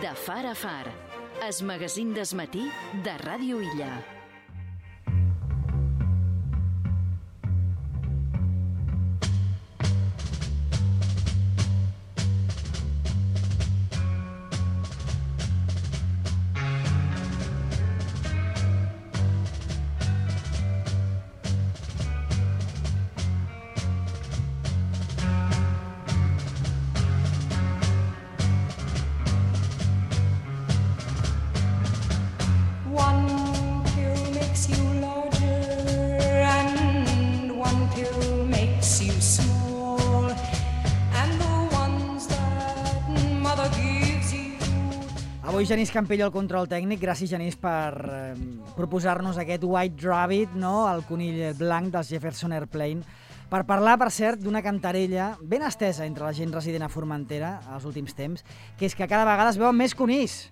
De far a far, es magazín d'esmatí de Ràdio Illa. Avui Genís Campello al control tècnic. Gràcies, Genís, per proposar-nos aquest White Rabbit, no? El conill blanc dels Jefferson Airplane, per parlar, per cert, d'una cantarella ben estesa entre la gent resident a Formentera als últims temps, que és que cada vegada es veuen més conills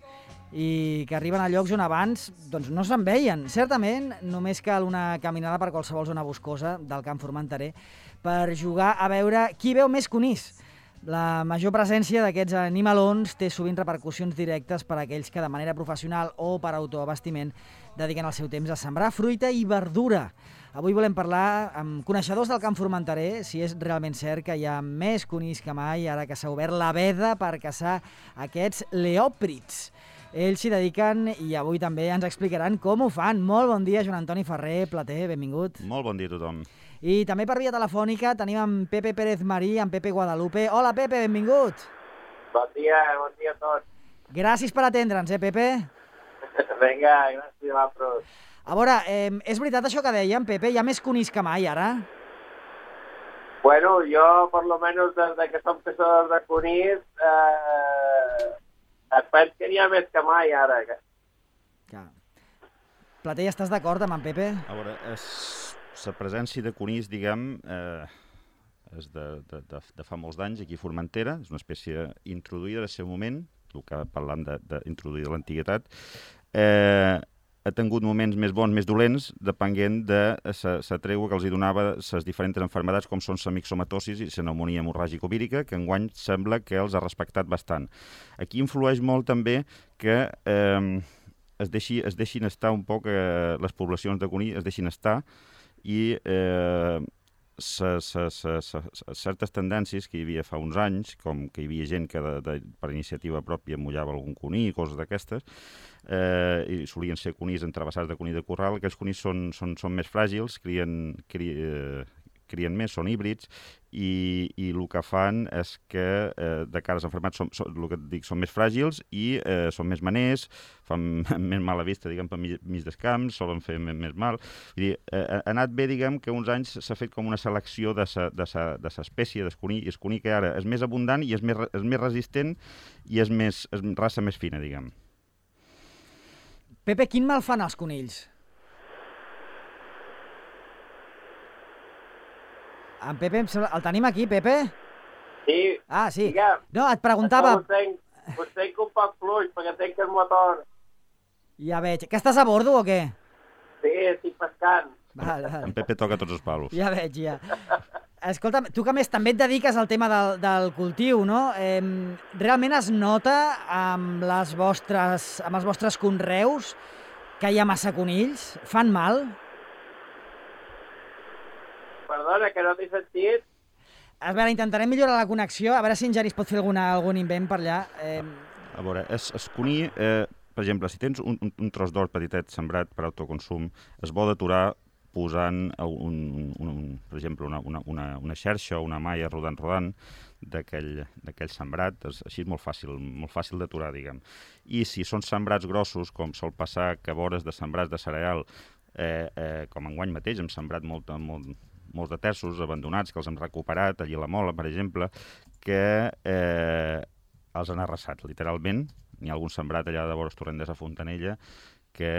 i que arriben a llocs on abans doncs, no se'n veien. Certament, només cal una caminada per qualsevol zona boscosa del camp formenterer per jugar a veure qui veu més conills. La major presència d'aquests animalons té sovint repercussions directes per a aquells que de manera professional o per autoabastiment dediquen el seu temps a sembrar fruita i verdura. Avui volem parlar amb coneixedors del camp formenterer si és realment cert que hi ha més conills que mai ara que s'ha obert la veda per caçar aquests leòprits. Ells s'hi dediquen i avui també ens explicaran com ho fan. Molt bon dia, Joan Antoni Ferrer, Plater, benvingut. Molt bon dia a tothom. I també per via telefònica tenim en Pepe Pérez Marí, en Pepe Guadalupe. Hola, Pepe, benvingut. Bon dia a tots. Gràcies per atendre'ns, Pepe? Vinga, gràcies a vosaltres. A veure, és veritat això que dèiem, Pepe? Hi ha més conills que mai, ara? Bueno, jo, per lo menos, des que som caçadors de conills, penso que n'hi ha més que mai, ara. Ja. Plater, estàs d'acord amb en Pepe? A veure, la presència de conills, diguem, és de fa molts d'anys aquí a Formentera, és una espècie introduïda en el seu moment, el que parlant d'introduir de l'antiguitat, ha tingut moments més bons, més dolents, depenent de la tregua que els hi donava les diferents malalties, com són la mixomatosis i la pneumònia hemorràgico-vírica, que enguany sembla que els ha respectat bastant. Aquí influeix molt també que es deixin estar un poc, les poblacions de conill es deixin estar, i certes tendències que hi havia fa uns anys, com que hi havia gent que per iniciativa pròpia mullava algun conill, coses d'aquestes, i solien ser conills entravessats de conill de corral. Aquells conills són més fràgils, crien més, són híbrids, i el que fan és que de cara als enfermats són més fràgils i són més maners, fan més mala vista, diguem, per mig dels camps, solen fer més mal. Vull dir, ha anat bé, diguem, que uns anys s'ha fet com una selecció de l'espècie del conill, i el conill que ara és més abundant i és més resistent i és raça més fina, diguem. Pepe, quin mal fan els conills? En Pepe, el tenim aquí, Pepe? Sí. Ah, sí. Digue'm. No, et preguntava... Us tenc un poc fluix, perquè tenc el motor. Ja veig. Que estàs a bordo o què? Sí, estic pescant. Vale. En Pepe toca tots els palos. Ja veig, ja. Escolta'm, tu que més també et dediques al tema del cultiu, no? Realment es nota amb els vostres conreus que hi ha massa conills? Fan mal? Perdona, que no t'he sentit. A veure, intentarem millorar la connexió, a veure si en Genís pot fer algun invent per allà. A veure, el conill, per exemple, si tens un tros d'or petitet sembrat per autoconsum, es bo d'aturar posant, per exemple, una xarxa o una malla rodant d'aquell sembrat. Així és molt fàcil d'aturar, diguem. I si són sembrats grossos, com sol passar que vores de sembrats de cereal, com enguany mateix hem sembrat molts de terços abandonats que els hem recuperat, allí a la Mola, per exemple, que els han arrasat, literalment. N'hi ha algun sembrat allà de vores Torrent de Fontanella que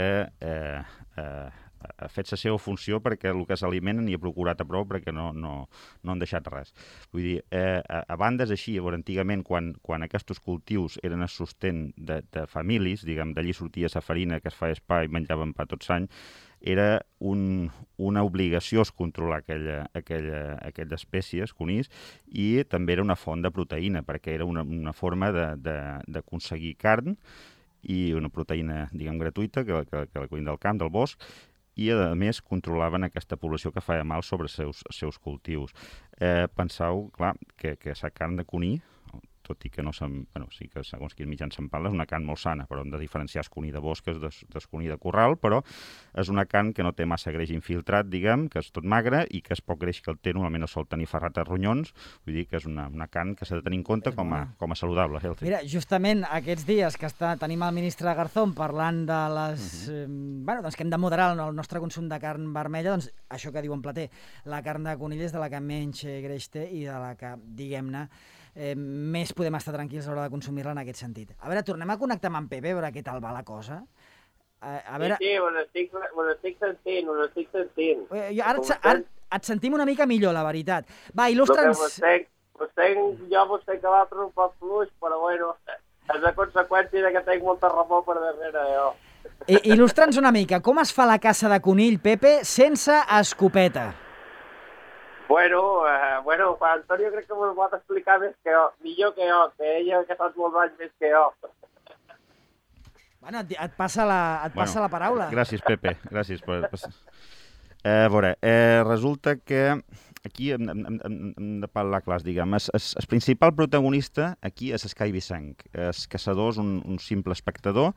ha fet la seva funció perquè el que s'alimenten hi ha procurat a prou perquè no han deixat res. Vull dir, a banda és així, antigament, quan aquests cultius eren el sostén de famílies, diguem, d'allí sortia la farina que es feia pa i menjaven pa tots l'any, era una obligació controlar aquella espècie, conills, i també era una font de proteïna, perquè era una forma d'aconseguir carn i una proteïna, diguem, gratuïta, que la cuina del camp, del bosc, i, a més, controlaven aquesta població que feia mal sobre els seus cultius. Penseu, clar, que la carn de conill, tot i que no sí que segons quins mitjans se'n parla, és una carn molt sana, però hem de diferenciar el conill de bosc del conill de corral, però és una carn que no té massa greix infiltrat, diguem, que és tot magre i que és poc greix que el té, normalment no sol tenir ferrat a ronyons, vull dir que és una carn que s'ha de tenir en compte com a saludable. Healthy. Mira, justament aquests dies que tenim el ministre Garzón parlant de les... doncs que hem de moderar el nostre consum de carn vermella, doncs això que diu en Plater, la carn de conill és de la que menys greix té i de la que, diguem-ne, més podem estar tranquils a l'hora de consumir-la en aquest sentit. A veure, tornem a connectar amb en Pepe, a veure què tal va la cosa. Sí, ho estic sentint. Ara et sentim una mica millor, la veritat. Va, il·lustra'ns... Vostè que va per un poc fluix, però bueno, és a conseqüència que tenc molta remor per darrere, jo. Il·lustra'ns una mica, com es fa la caça de conill, Pepe, sense escopeta? Bueno, Antonio crec que m'ho pot explicar millor que jo, que ella que saps molts anys més que jo. Bueno, et passa la paraula. Gràcies, Pepe, gràcies. A veure, resulta que aquí hem de parlar clars, diguem. El principal protagonista aquí és Sky Vicent. El caçador és un simple espectador.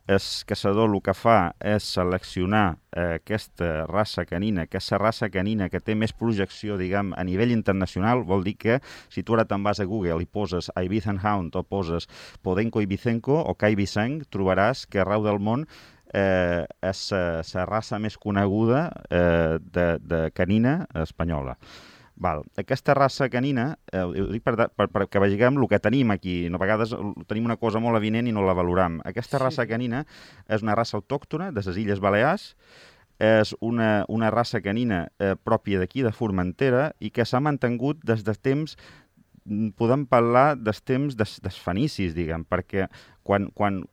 El caçador el que fa és seleccionar aquesta raça canina, que és la raça canina que té més projecció, diguem, a nivell internacional. Vol dir que si tu ara te'n vas a Google i poses Ibizan Hound o poses Podenco Ibicenco o Kai Vicent, trobaràs que arreu del món és la raça més coneguda de canina espanyola. Aquesta raça canina, ho dic perquè vegem el que tenim aquí. A vegades tenim una cosa molt evident i no la valoram. Aquesta raça canina és una raça autòctona de les Illes Balears, és una raça canina pròpia d'aquí, de Formentera, i que s'ha mantingut des de temps, podem parlar dels temps dels fenicis, diguem, perquè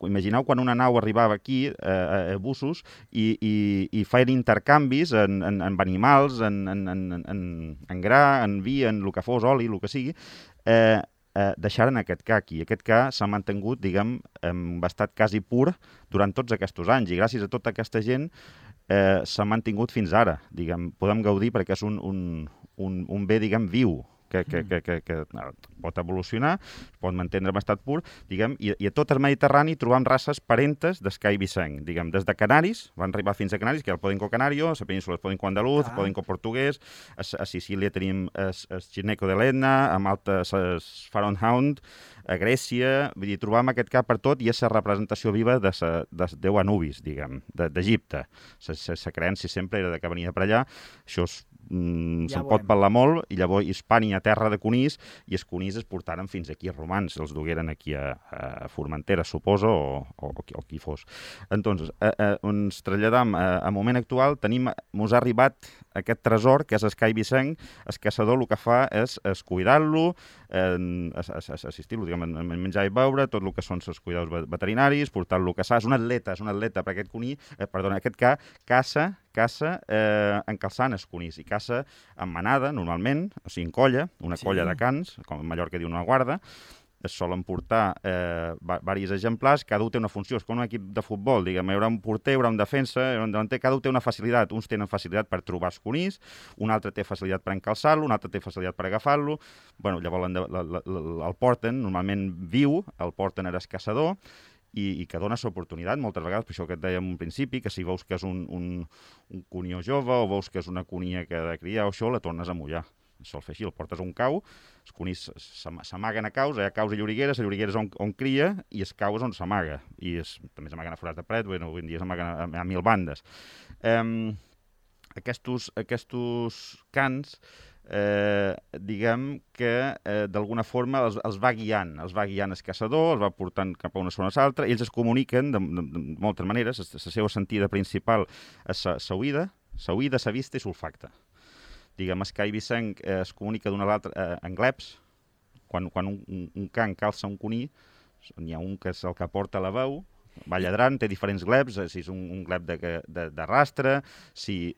imagineu quan una nau arribava aquí a Bussos i feien intercanvis en animals, en gra, en vi, en el que fos, oli, el que sigui, deixaren aquest ca aquí. Aquest ca s'ha mantingut, diguem, en estat quasi pur durant tots aquests anys, i gràcies a tota aquesta gent s'ha mantingut fins ara, diguem. Podem gaudir perquè és un bé, diguem, viu, que pot evolucionar, pot mantenir en estat pur, diguem, i a tot el Mediterrani trobam races parentes d'Sky Vicent, diguem, des de Canaris, van arribar fins a Canaris, que és el Podenco Canario, a la península el Podenco Andaluz, el Podenco Portuguès, a Sicília tenim el Gineco de l'Etna, a Malta el Faron Hound, a Grècia, vull dir, trobam aquest cap per tot i és la representació viva de Déu Anubis, diguem, d'Egipte. La creença sempre era que venia per allà, això se'n pot parlar molt, i llavors Hispània, terra de conills, i els conills es portaren fins aquí els romans, els dugueren aquí a Formentera, suposo, o qui fos. Entonces, ens traslladam al moment actual, mos ha arribat aquest tresor, que és Sky Vicent. El caçador el que fa és cuidar-lo, assistir-lo, diguem, a menjar i beure, tot el que són els cuidados veterinaris, portar-lo a caçar. És un atleta, perquè aquest ca caça encalçant els conills, i caça en manada, normalment, o sigui, en colla, una colla de cans, com a Mallorca diu una guarda. Es solen portar diversos exemplars, cada un té una funció, és com un equip de futbol, diguem, hi haurà un porter, hi haurà un defensa, hi haurà un davanter, cada un té una facilitat, uns tenen facilitat per trobar els conills, un altre té facilitat per encalçar-lo, un altre té facilitat per agafar-lo, llavors el porten, normalment viu, el porten al caçador, i que dona l'oportunitat, moltes vegades, per això que et dèiem al principi, que si veus que és un conió jove o veus que és una conia que ha de criar o això, la tornes a mullar. Sol fer així, el portes a un cau, els conills s'amaguen a caus, hi ha caus i llorigueres, la lloriguera és on cria i el cau és on s'amaga, i també s'amaguen a forats de paret, avui en dia s'amaguen a 1000 bandes. Aquests cans, diguem que d'alguna forma els va guiant el caçador, els va portant cap a una zona o l'altra, i ells es comuniquen de moltes maneres. La seva sentida principal és la oïda, la vista i l'olfacte. Diguem, Sky Vicent es comunica d'una a l'altra en gleps. Quan un can calça un conill, n'hi ha un que és el que porta la veu, Va lladrant, té diferents gleps, si és un glep de rastre, si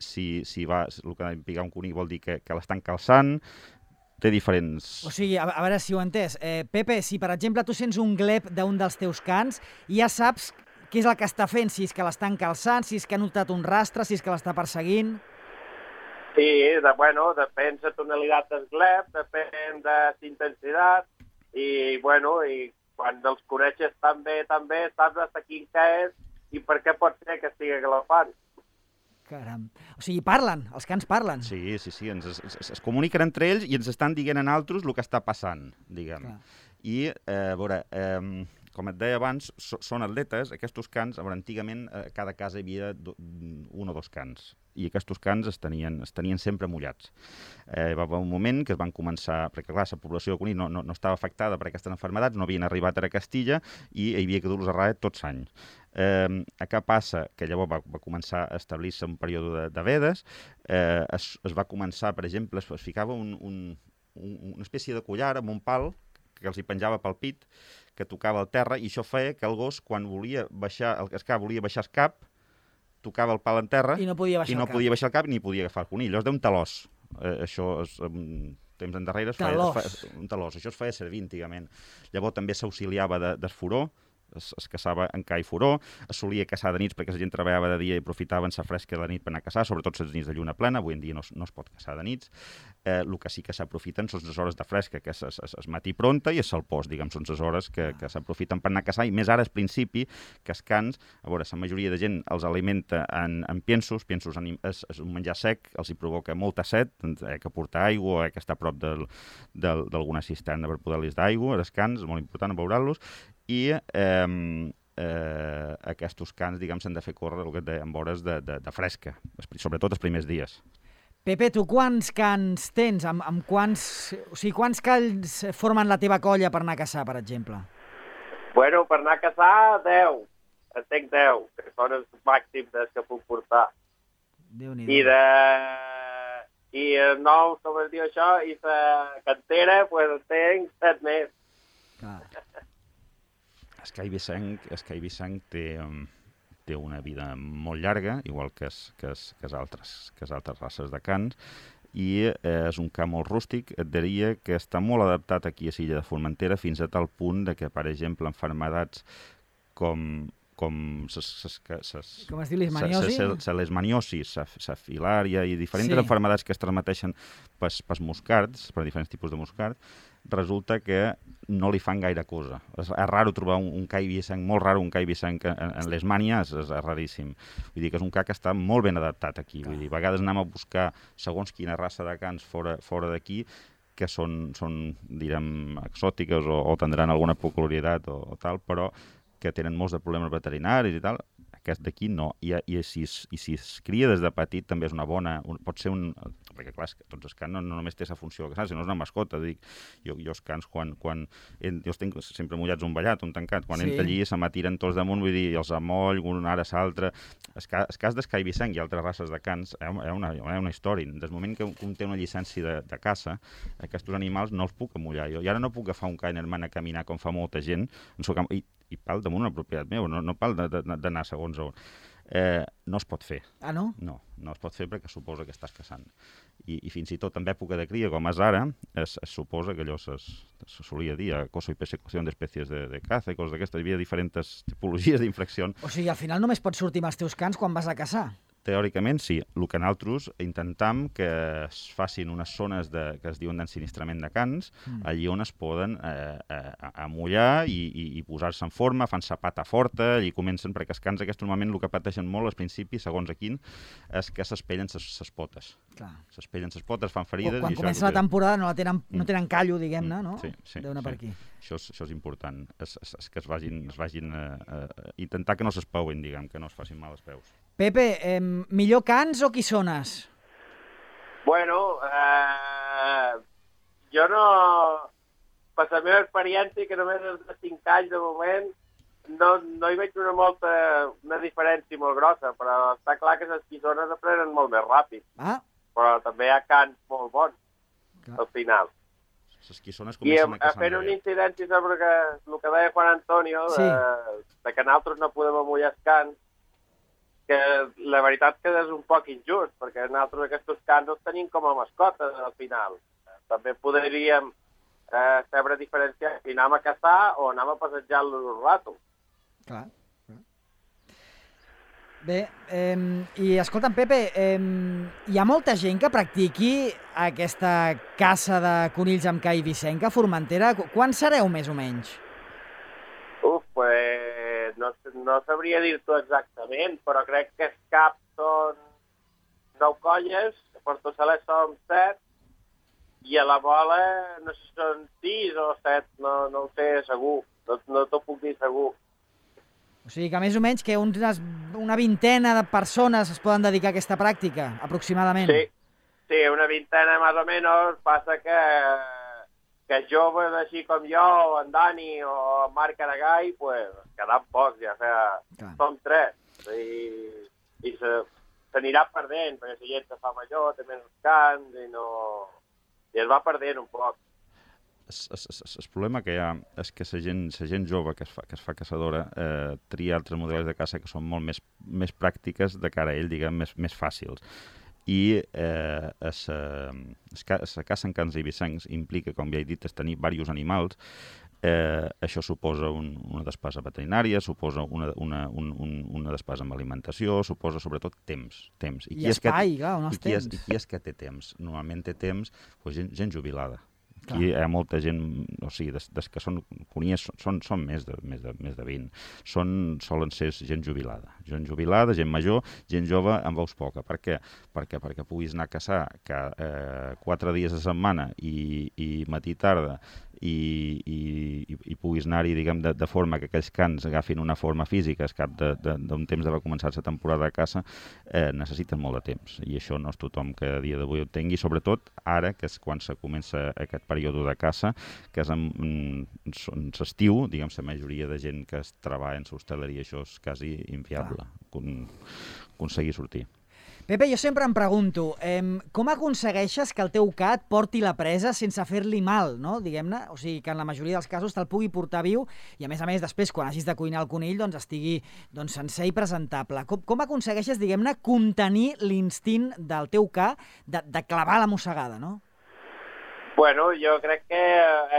va, el que picar un conill vol dir que l'estan calçant, té diferents... O sigui, a veure si ho he entès. Pepe, si per exemple tu sents un glep d'un dels teus cans, ja saps què és el que està fent, si és que l'estan calçant, si és que ha notat un rastre, si és que l'està perseguint... Sí, depèn de tonalitat del glep, depèn de l'intensitat, i quan els coneixes tan bé, saps hasta quin que és i per què pot ser que estigui galopant. Caram. O sigui, parlen, els cans parlen. Sí, es comuniquen entre ells i ens estan dient a nosaltres el que està passant, diguem. Clar. I, a veure, com et deia abans, són atletes, aquests cans, antigament a cada casa hi havia un o dos cans, i aquests cans es tenien sempre mullats. Va haver un moment que es van començar, perquè clar, la població de conill no estava afectada per aquestes malalties, no havien arribat a Castilla i hi havia que dur-los a raia tots anys. Què passa? Que llavors va començar a establir-se un període de vedes, es va començar, per exemple, es ficava una espècie de collar amb un pal que els hi penjava pel pit, que tocava al terra, i això feia que el gos, quan volia baixar el cap, tocava el pal en terra i no podia baixar el cap ni podia agafar el conill. Allò es deu un talòs. Això temps endarrere un talòs. Això es feia servir antigament. Llavors també s'auxiliava d'esfuró, es caçava en ca i furó, es solia caçar de nits perquè la gent treballava de dia i aprofitaven la fresca de la nit per anar a caçar, sobretot les nits de lluna plena. Avui en dia no es pot caçar de nits. El que sí que s'aprofiten són les hores de fresca, que és matí pronta i és el post, diguem, són les hores que s'aprofiten per anar a caçar, i més ara al principi, que els cans, a veure, la majoria de gent els alimenta en piensos és un menjar sec, els hi provoca molta set, que portar aigua, que està a prop d'alguna cisterna per poder-los d'aigua, els cans, és molt important veure-los, i aquests cans, diguem, s'han de fer córrer el que et deia, en hores de fresca, sobretot els primers dies. Pepe, tu quants cans tens? Quants cans formen la teva colla per anar a caçar, per exemple? Per anar a caçar, 10. En tenc 10, que són els màxims que puc portar. Déu-n'hi-do. I el nou, com es diu això, i la cantera, en tenc 7 més. Clar. Escai Vicenc té una vida molt llarga, igual que altres races de cans, i és un ca molt rústic. Et diria que està molt adaptat aquí a l'illa de Formentera, fins a tal punt que, per exemple, malalties com es diu leishmaniosi? La leishmaniosi, la filària i diferents malalties que es transmeteixen pels moscards, per diferents tipus de moscard, resulta que no li fan gaire cosa. És raro trobar un cai vicenc, molt raro un cai vicenc en Leishmania, és raríssim. Vull dir que és un ca que està molt ben adaptat aquí. Vull dir, a vegades anem a buscar segons quina raça de cans fora d'aquí, que són direm, exòtiques o tindran alguna peculiaritat o tal, però que tenen molts de problemes veterinaris i tal. Aquest d'aquí no. I si es cria des de petit també és una bona... Pot ser un... Perquè, clar, tots els cans no només té la funció de caçar, sinó és una mascota. Dic, jo els cans, quan jo els tenc sempre mullats un ballat, un tancat. Quan entro allí se m'atiren tots damunt, vull dir, els amoll, un ara l'altre. El cas d'Escai Vicenc i altres races de cans hi ha una història. Des del moment que un té una llicència de caça, aquests animals no els puc amullar. Jo ara no puc agafar un ca i anar a caminar com fa molta gent, i pal damunt una propietat meva, no pal d'anar segons on. No es pot fer. Ah, no? No es pot fer perquè suposa que estàs caçant. I fins i tot en època de cria, com és ara, es suposa que allò se solia dir acoso i persecució d'espècies de caça i coses d'aquestes. Hi havia diferents tipologies d'infracció. O sigui, al final només pots sortir amb els teus cans quan vas a caçar. Teòricament, sí. El que nosaltres intentam que es facin unes zones que es diuen d'ensinistrament de cans, allí on es poden amollar i posar-se en forma, fan sa pata forta, allí comencen, perquè els cans aquests normalment el que pateixen molt al principi, segons a quin, és que s'espellen ses potes. S'espellen ses potes, fan ferides... Quan comença la temporada no tenen callo, diguem-ne, no? Sí. Deu anar per aquí. Això és important, és que es vagin intentar que no s'espauen, diguem, que no es facin mal als peus. Pepe, millor cans o quissones? Jo no... Per la meva experiència, que només és de 5 anys de moment, no hi veig una diferència molt grossa, però està clar que les quissones aprenen molt més ràpid. Ah. Però també hi ha cans molt bons, al final. Les quissones I comencen a caçar fent una incidència sobre el que deia Juan Antonio, de que nosaltres no podem amullar els cans, que la veritat que és un poc injust, perquè nosaltres aquests cans els tenim com a mascotes al final. També podríem saber diferenciar si anem a caçar o anem a passejar-los un rato. Clar. Bé, i escolta'm, Pepe, hi ha molta gent que practiqui aquesta caça de conills amb cai vicenca a Formentera. Quan sereu, més o menys? Pues no sabria dir-t'ho exactament, però crec que els caps són 9 colles, a Porto Saler són 7, i a la bola no sé si són 6 o 7, no ho sé segur, no t'ho puc dir segur. O sigui que més o menys que una vintena de persones es poden dedicar a aquesta pràctica, aproximadament. Sí, una vintena més o menys. Passa que joves així com jo, o en Dani o en Marc Aragall, pues, quedant pocs, ja. O sigui, som 3. I s'anirà perdent, perquè la gent se fa major, té menys cants, i es va perdent un poc. El problema que hi ha és que la gent jove que es fa caçadora tria altres models de caça que són molt més pràctiques de cara a ell, diguem, més fàcils. I la caça en cans i vicencs implica, com ja he dit, tenir diversos animals. Això suposa una despesa veterinària, suposa una despesa amb alimentació, suposa sobretot temps. I espai, clar, on els temps. I qui és que té temps? Normalment té temps gent jubilada. Aquí hi ha molta gent, o sigui, des que són conies, són més de 20. Solen ser gent jubilada, gent major, gent jove amb veus poca. Per què? Perquè puguis anar a caçar 4 dies a setmana i matí i tarda, i puguis anar-hi, diguem, de forma que aquells cans agafin una forma física al cap d'un temps d'haver començat la temporada de caça, necessiten molt de temps. I això no és tothom que a dia d'avui ho tingui, sobretot ara, que és quan se comença aquest període de caça, que és en l'estiu, diguem, la majoria de gent que es treballa en l'hostaleria, això és quasi inviable, aconseguir sortir. Pepe, jo sempre em pregunto, com aconsegueixes que el teu ca et porti la presa sense fer-li mal, no? Diguem-ne, o sigui, que en la majoria dels casos te'l pugui portar viu i, a més, després, quan hagis de cuinar el conill, doncs estigui sencer i presentable. Com aconsegueixes, diguem-ne, contenir l'instint del teu ca de clavar la mossegada, no? Bueno, jo crec que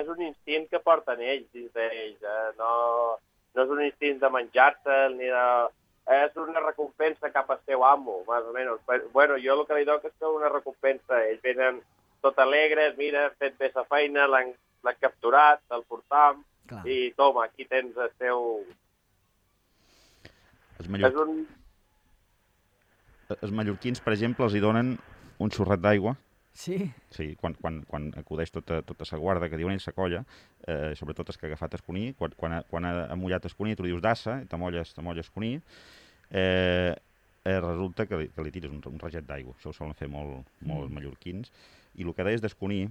és un instint que porten ells dins d'ells. No és un instint de menjar-se'l ni de... És una recompensa cap al seu amo, més o menys. Bueno, jo el que li dono és una recompensa. Ells venen tot alegres, mira, fet bé la feina, l'han capturat, el portam, i toma, aquí tens el seu... Els mallorquins, per exemple, els hi donen un xorret d'aigua. Sí? Sí, quan acudeix tota la guarda que diuen ells, la colla, sobretot els que ha agafat el coní, quan ha mullat el coní, tu li dius d'assa, t'amolles el coní, resulta que li tires un raget d'aigua. Això ho solen fer molt els mallorquins. I el que deies del coní,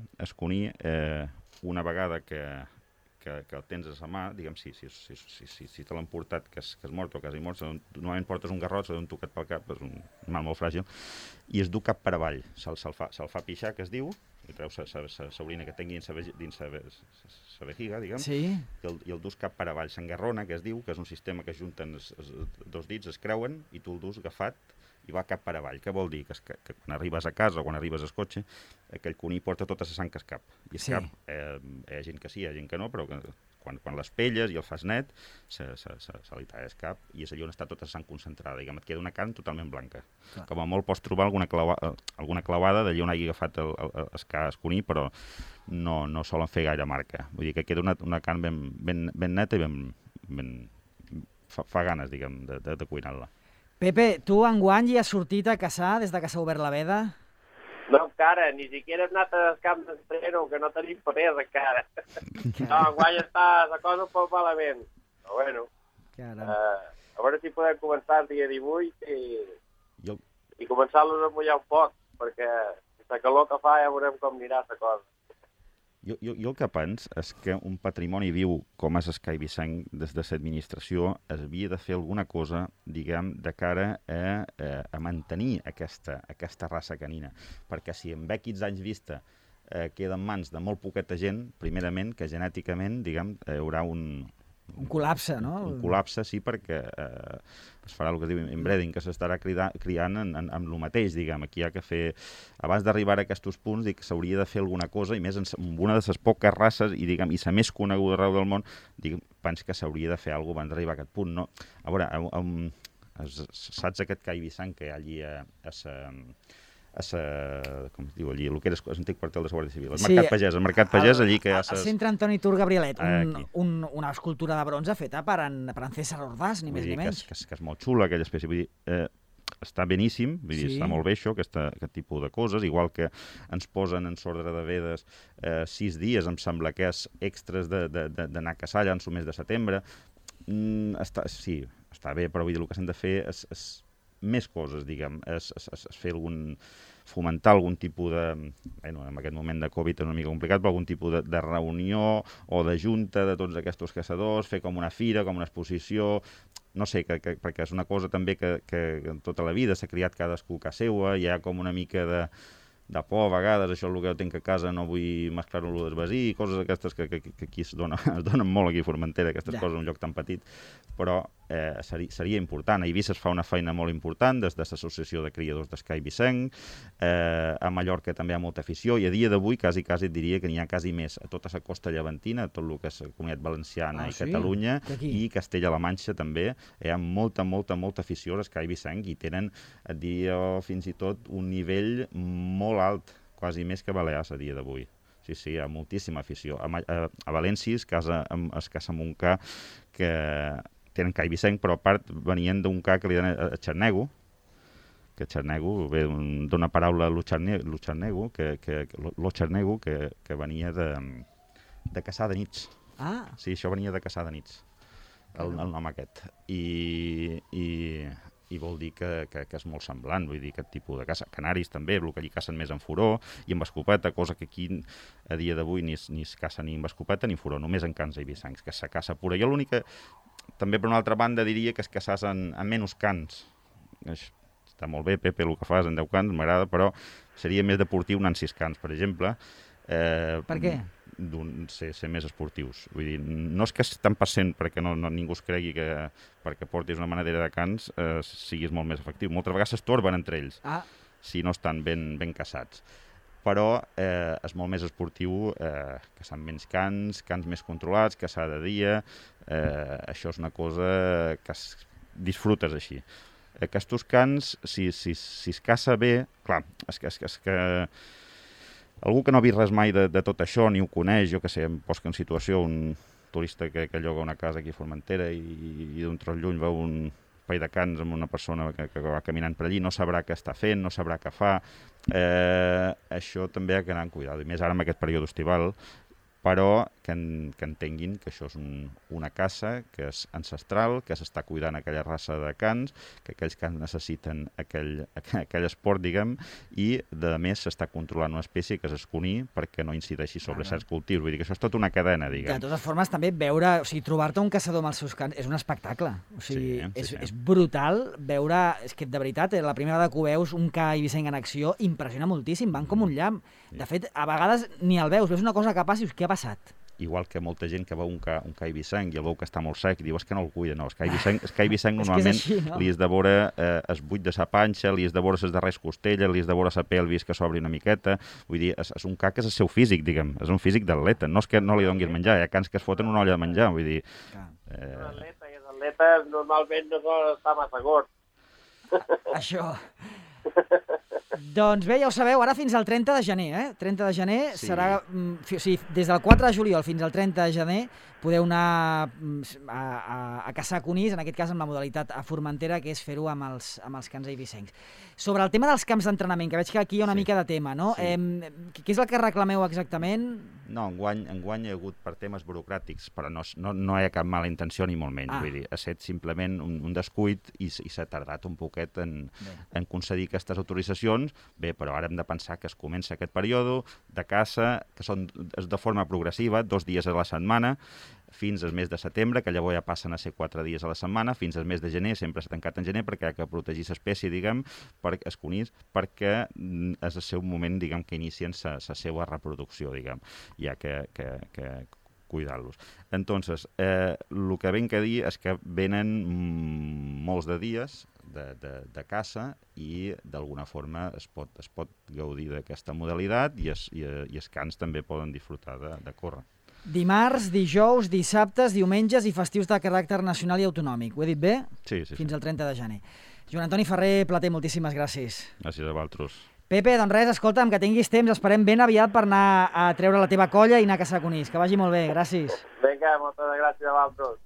una vegada que el tens a la mà, diguem, si te l'han portat, que és mort o quasi mort, normalment portes un garrot, s'ha d'un tocat pel cap, és un animal molt fràgil, i es du cap per avall. Se'l fa pixar, que es diu, i treu l'orina que tingui dins la vejiga, diguem, i el dus cap per avall. S'engarrona, que es diu, que és un sistema que junten els dos dits, es creuen, i tu el dus agafat i va cap per avall. Què vol dir? Que quan arribes a casa o quan arribes al cotxe, aquell coní porta tota la sang que es cap. I es cap, hi ha gent que sí, hi ha gent que no, però quan les pelles i el fas net, se li talla el cap i és allà on està tota la sang concentrada. Diguem, et queda una carn totalment blanca. Com a molt pots trobar alguna clavada d'allà on hagi agafat el coní, però no solen fer gaire marca. Vull dir que queda una carn ben neta i fa ganes, diguem, de cuinar-la. Pepe, tu enguany hi has sortit a caçar des que s'ha obert la veda? No, encara, ni siquiera hem anat als camps d'entreno, que no tenim papers encara. No, enguany està la cosa un poc malament. Però bueno, a veure si podem començar el dia 18 i començar-los a mullar un poc, perquè la calor que fa ja veurem com anirà la cosa. Jo el que penso és que un patrimoni viu com és el cai vicenc des de l'administració havia de fer alguna cosa, diguem, de cara a mantenir aquesta raça canina. Perquè si en 15 anys vista queda en mans de molt poqueta gent, primerament, que genèticament, diguem, hi haurà un col·lapse, no? Un col·lapse, sí, perquè es farà el que es diu inbreeding, que s'estarà criant amb el mateix, diguem. Aquí hi ha que fer... Abans d'arribar a aquests punts, dic que s'hauria de fer alguna cosa, i més en una de les poques races, i diguem, i la més coneguda arreu del món, penso que s'hauria de fer alguna cosa abans d'arribar a aquest punt, no? A veure, saps aquest cai vissant que hi ha allí com es diu allí, el que era l'antic quartel de la Guàrdia Civil, el Mercat Pagès, allí que hi ha... Al centre Antoni Tur Gabrielet, una escultura de bronze feta per en César Ordaz, ni més ni menys. Que és molt xula, aquella espècie. Vull dir, està beníssim, vull dir, està molt bé això, aquest tipus de coses, igual que ens posen en l'ordre de Vedes 6 dies, em sembla que és extras d'anar a caçar allà en el mes de setembre. Sí, està bé, però vull dir, el que s'han de fer és més coses, diguem, és fer fomentar algun tipus de... Bueno, en aquest moment de Covid és una mica complicat, però algun tipus de reunió o de junta de tots aquests caçadors, fer com una fira, com una exposició, no sé, perquè és una cosa també que tota la vida s'ha criat cadascú a casa seva, hi ha com una mica de por, a vegades, això és el que jo tinc a casa, no vull mesclar-ho amb el del veí, coses aquestes que aquí es donen molt aquí a Formentera, aquestes coses en un lloc tan petit, però seria important. A Eivissa es fa una feina molt important des de l'Associació de Criadors d'Escai Vicenc, a Mallorca també hi ha molta afició, i a dia d'avui quasi et diria que n'hi ha quasi més a tota la costa llevantina, tot el que és la Comunitat Valenciana i Catalunya, i Castella-La Manxa també, hi ha molta afició a l'Escai Vicenc, i tenen, et diria fins i tot, un nivell molt alt, quasi més que Balears a dia d'avui. Sí, hi ha moltíssima afició. A València es casa Montcà, que tenen cai Vicenc, però a part venien d'un ca que li donen a Xarnego, que Xarnego ve d'una paraula Luxarnego, que venia de caçar de nits. Sí, això venia de caçar de nits, el nom aquest. I vol dir que és molt semblant, vull dir, aquest tipus de caça. Canaris també, el que allí cacen més en furó i amb escopeta, cosa que aquí a dia d'avui ni es caça ni amb escopeta ni en furó, només en cans eivissencs, que se caça pura. Jo l'única, també per una altra banda, diria que es caçàs en menys cans. Està molt bé, Pepe, el que fas en 10 cans, m'agrada, però seria més deportiu anar en 6 cans, per exemple. Per què? Ser més esportius. Vull dir, no és que tant passent perquè ningú es cregui que perquè portis una manadera de cans siguis molt més efectiu. Moltes vegades s'estorben entre ells si no estan ben caçats. Però és molt més esportiu caçar menys cans més controlats, caçar de dia. Això és una cosa que disfrutes així. Aquests cans, si es caça bé, clar, és que algú que no ha vist res mai de tot això, ni ho coneix, jo que sé, em poso en situació un turista que lloga una casa aquí a Formentera i d'un tros lluny veu un parell de cans amb una persona que va caminant per allí, no sabrà què està fent, no sabrà què fa. Això també ha d'anar amb cuidado, i més ara en aquest període estival, però que entenguin que això és una caça que és ancestral, que s'està cuidant aquella raça de cans, que aquells cans necessiten aquell esport, diguem, i de més s'està controlant una espècie que és el cuní perquè no incideixi sobre certs cultius. Vull dir que això és tota una cadena, diguem. De totes formes, també veure, o sigui, trobar-te un caçador amb els seus cans és un espectacle. O sigui, és brutal veure, és que de veritat, la primera vegada que ho veus, un ca eivissenc en acció, impressiona moltíssim, van com un llamp. De fet, a vegades ni el veus una cosa que passa i dius, què ha passat? Igual que molta gent que veu un ca eivissenc i el veu que està molt sec i diu, és que no el cuida, no. El ca eivissenc normalment li has de veure el buit de sa panxa, li has de veure les darreres costelles, li has de veure la pelvis que s'obri una miqueta. Vull dir, és un ca que és el seu físic, diguem, és un físic d'atleta. No és que no li donguis menjar, hi ha cans que es foten una olla de menjar, vull dir... L'atleta normalment no sol estar massa gord. Això... Doncs bé, ja ho sabeu, ara fins al 30 de gener, 30 de gener serà... O sigui, des del 4 de juliol fins al 30 de gener podeu anar a caçar conills, en aquest cas amb la modalitat a Formentera, que és fer-ho amb els cans eivissencs. Sobre el tema dels camps d'entrenament, que veig que aquí hi ha una mica de tema, no? Què és el que reclameu exactament? No, enguany hi ha hagut per temes burocràtics, però no hi ha cap mala intenció ni molt menys. Vull dir, ha estat simplement un descuit i s'ha tardat un poquet en concedir aquestes autoritzacions. Bé, però ara hem de pensar que es comença aquest període de caça, que són de forma progressiva, 2 dies a la setmana, fins al mes de setembre, que llavors ja passen a ser 4 dies a la setmana, fins al mes de gener, sempre s'ha tancat en gener perquè hi ha que protegir l'espècie, diguem, per els conills, perquè és el seu moment, diguem, que inicien la seva reproducció, diguem, hi ha que cuidar-los. Entonces, el que ven que dir és que venen molts de dies de caça i d'alguna forma es pot gaudir d'aquesta modalitat i els cans també poden disfrutar de córrer. Dimarts, dijous, dissabtes, diumenges i festius de caràcter nacional i autonòmic. Ho he dit bé? Sí. Fins al 30 de gener. Joan Antoni Ferrer Plater, moltíssimes gràcies. Gràcies a vosaltres. Pepe, doncs res, escolta'm, que tinguis temps, esperem ben aviat per anar a treure la teva colla i anar a caçar conills. Que vagi molt bé, gràcies. Vinga, moltes gràcies a vosaltres.